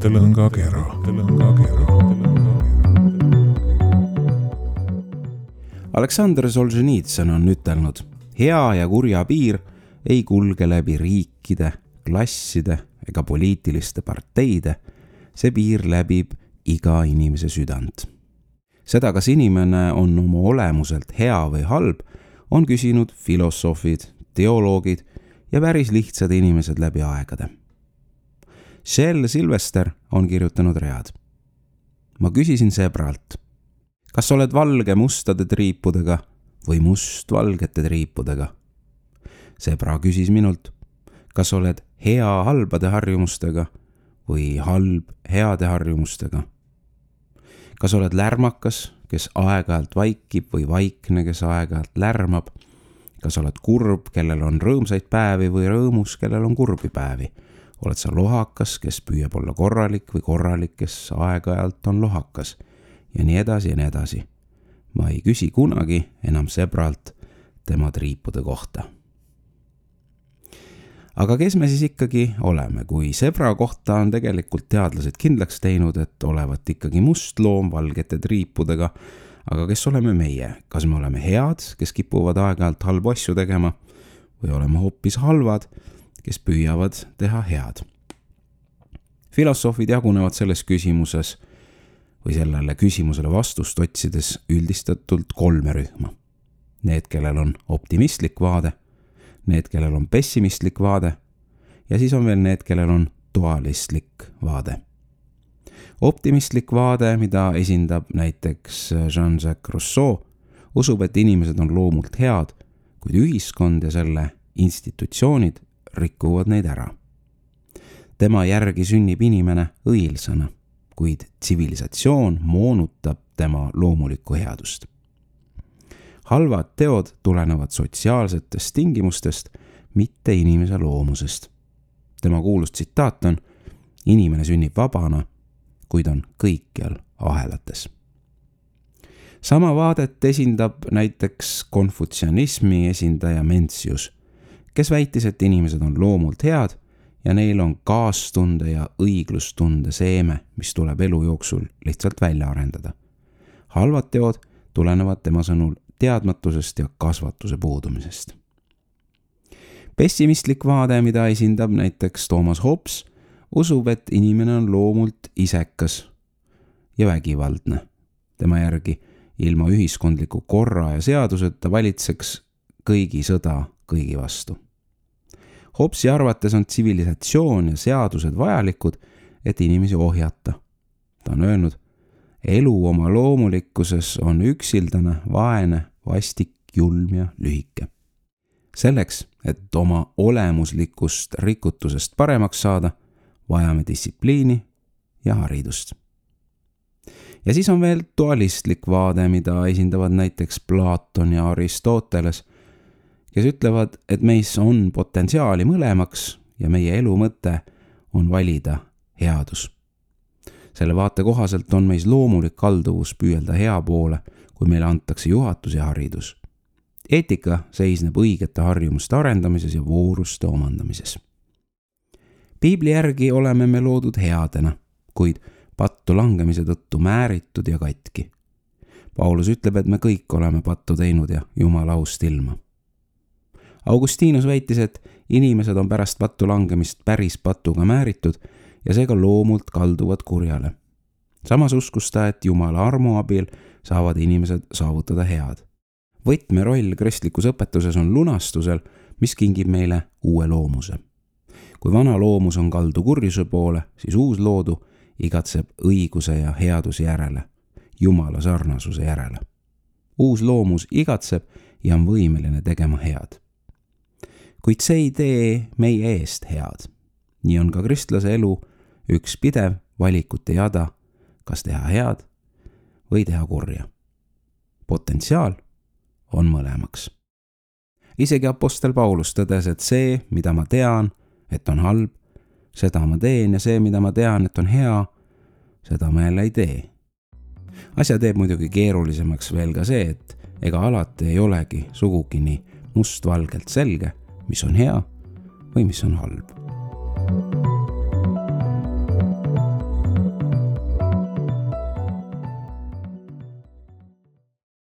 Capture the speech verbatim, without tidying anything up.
Tõlõngakera. Aleksandr Solženitsõn on ütelnud, hea ja kurja piir ei kulge läbi riikide, klasside ega poliitiliste parteide, see piir läbib iga inimese südant. Seda, kas inimene on oma olemuselt hea või halb, on küsinud filosoofid, teoloogid ja päris lihtsad inimesed läbi aegade. Shel Silvester on kirjutanud read. Ma küsisin sebralt, kas oled valge mustade triipudega või must valgete triipudega? Sebra küsis minult, kas oled hea halbade harjumustega või halb heade harjumustega? Kas oled lärmakas, kes aeg-ajalt vaikib või vaikne, kes aeg-ajalt lärmab? Kas oled kurb, kellel on rõõmsaid päevi või rõõmus, kellel on kurbi päevi? Oled sa lohakas, kes püüab olla korralik või korralik, kes aeg-ajalt on lohakas? Ja nii edasi ja nii edasi. Ma ei küsi kunagi enam sebralt tema triipude kohta. Aga kes me siis ikkagi oleme, kui sebra kohta on tegelikult teadlased kindlaks teinud, et olevat ikkagi must loom valgete triipudega, aga kes oleme meie? Kas me oleme head, kes kipuvad aeg-ajalt halbu asju tegema, või oleme hoopis halvad, kes püüavad teha head? Filosoofid jagunevad selles küsimuses või sellele küsimusele vastust otsides üldistatult kolme rühma. Need, kellel on optimistlik vaade, need, kellel on pessimistlik vaade ja siis on veel need, kellel on dualistlik vaade. Optimistlik vaade, mida esindab näiteks Jean-Jacques Rousseau, usub, et inimesed on loomult head, kuid ühiskond ja selle institutsioonid rikuvad neid ära. Tema järgi sünnib inimene õilsana, kuid tsivilisatsioon moonutab tema loomulikku headust. Halvad teod tulenevad sotsiaalsetest tingimustest, mitte inimese loomusest. Tema kuulus tsitaat on, inimene sünnib vabana, kuid on kõikjal ahelates. Sama vaadet esindab näiteks konfutsianismi esindaja Mencius, kes väitis, et inimesed on loomult head ja neil on kaastunde ja õiglustunde seeme, mis tuleb elu jooksul lihtsalt välja arendada. Halvad teod tulenevad tema sõnul teadmatusest ja kasvatuse puudumisest. Pessimistlik vaade, mida esindab näiteks Thomas Hobbes, usub, et inimene on loomult isekas ja vägivaldne. Tema järgi ilma ühiskondliku korra ja seaduseta valitseks kõigi sõda kõigi vastu. Hobbesi arvates on tsivilisatsioon ja seadused vajalikud, et inimesi ohjata. Ta on öelnud, elu oma loomulikkuses on üksildane, vaene, vastik, julm ja lühike. Selleks, et oma olemuslikust rikutusest paremaks saada, vajame distsipliini ja haridust. Ja siis on veel dualistlik vaade, mida esindavad näiteks Platon ja Aristoteles, kes ütlevad, et meis on potentsiaali mõlemaks ja meie elu mõte on valida headus. Selle vaate kohaselt on meis loomulik kalduvus püüelda hea poole, kui meile antakse juhatus ja haridus. Eetika seisneb õigete harjumuste arendamises ja vooruste omandamises. Piibli järgi oleme me loodud headena, kuid pattu langemise tõttu määritud ja katki. Paulus ütleb, et me kõik oleme pattu teinud ja Jumala aust ilma. Augustinus väitis, et inimesed on pärast pattu langemist päris patuga määritud ja seega loomult kalduvad kurjale. Samas uskus ta, et Jumala armu abil saavad inimesed saavutada head. Võtmeroll kristlikus õpetuses on lunastusel, mis kingib meile uue loomuse. Kui vana loomus on kaldu kurjuse poole, siis uus loodu igatseb õiguse ja headuse järele, Jumala sarnasuse järele. Uus loomus igatseb ja on võimeline tegema head. Kuid see ei tee meie eest head. Nii on ka kristlase elu üks pidev valikute jada, kas teha head või teha kurja. Potentsiaal on mõlemaks. Isegi apostel Paulus tõdes, et see, mida ma tean, et on halb, seda ma teen ja see, mida ma tean, et on hea, seda ma jälle ei tee. Asja teeb muidugi keerulisemaks veel ka see, et ega alati ei olegi sugugi nii mustvalgelt selge, mis on hea või mis on halb.